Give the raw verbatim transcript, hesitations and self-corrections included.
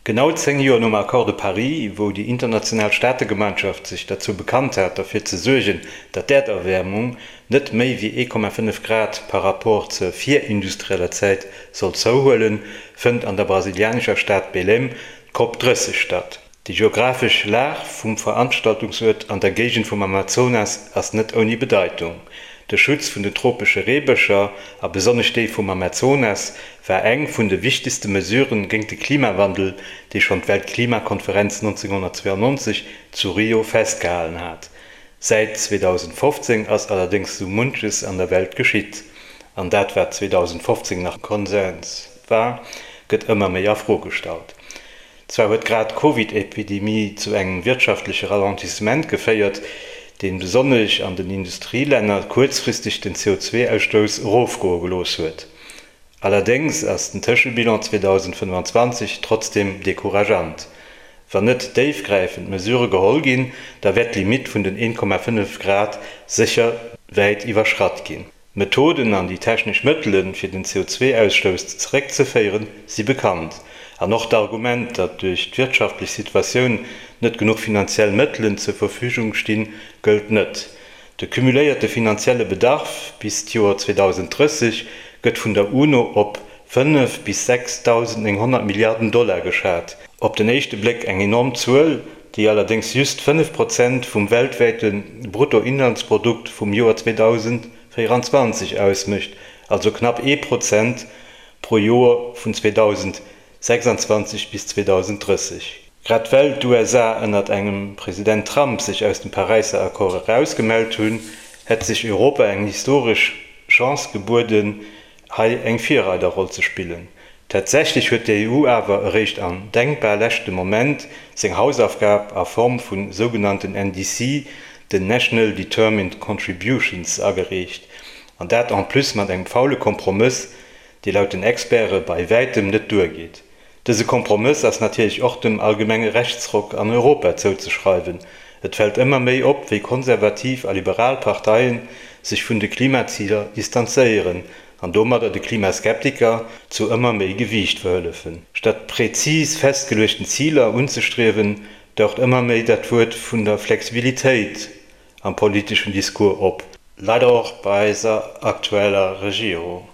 Genau zéng Joer nom Accord de Paris, wou déi international Staategemeinschaft sech derzou bekannt hat, derfir ze suergen, datt d'Äerderwäermung net méi wéi ee Komma fënnef Grad par rapport zur virindustrieller Zäit soll zouhuelen, fënnt an der brasilianescher Stad Belém d'Cop drësseg statt. Déi geographesch Lag vum Veranstaltungsuert an der Géigend vum Amazonas ass net ouni Bedeitung. De Schutz vun den tropesche Reebëscher, a besonnesch déi vum Amazonas, war eng vun de wichtegste Mesurë géint de Klimawandel, déi schonn d'Weltklimakonferenz nonzénghonnertzweeangnonzeg zu Rio festgehalen hat. Säit zweedausendfofzéng ass allerdéngs sou munches an der Welt geschitt, an dat wat zweedausendfofzéng nach Konsens war, gëtt ëmmer méi a Fro gestallt. Zwar huet grad d'Covid-Epidemie zu engem wirtschaftleche Ralentissement geféiert, dee besonnesch an den Industrielänner kuerzfristeg den C O zwei Ausstouss erofgoe gelooss huet. Allerdéngs ass den Tëschebilan zweedausendfënnwanzwanzeg trotzdeem decourageant. Wann net déifgräifend Mesurë geholl ginn, da wäert d'Limitt vun den een Komma fënnef Grad sécher wäit iwwerschratt ginn. D'Methoden an déi technesch Mëttelen, fir den C O zwei Ausstouss zeréckzeféieren, si bekannt. An och d'Argument, datt duerch d'wirtschaftlech Situatioun net genuch finanziell Mëttelen zur Verfügung stinn, gëllt net. De cumuléierte finanzielle Bedarf bis d'Joer zweedausenddrësseg gëtt vun der UNO op fënnef bis sechsdausendnénghonnert Milliarden Dollar geschat. Op den éischte Bléck eng enorm Zuel, déi allerdéngs just fënnef Prozent vum weltwäite Bruttoinlandsprodukt vum Joer zweedausendvéieranzwanzeg ausmécht, also knapp ee Prozent pro Joer vun zweedausendsechsanzwanzeg bis zweedausenddrësseg. Grad well d'U S A ënnert engem President Trump sech aus dem Paräisser Accord erausgemellt hunn, hätt sech Europa eng historesch Chance gebueden, hei eng Virreiderroll ze spillen. Tatsächlech huet d'E U awer eréischt am denkbar leschte Moment seng Hausaufgab a Form vun sougenannten N D C, den National Determined Contributions, agereecht. An dat en plus mat engem faule Kompromëss, dee laut den Experte bei wäitem net duergeet. Dëse Kompromëss ass natierlech och dem allgemenge Rechtsruck an Europa zouzeschreiwen. Et fält ëmmer méi op, wéi konservativ a liberal Parteien sech vun de Klimaziler distanzéieren an domadder de Klimaskeptiker zu ëmmer méi Gewiicht verhëllefen. Statt präzis festgeluechten Ziler unzestriewen, daucht ëmmer méi dat Wuert vun der Flexibilitéit am politischen Diskurs op. Leider och bei eiser aktueller Regierung.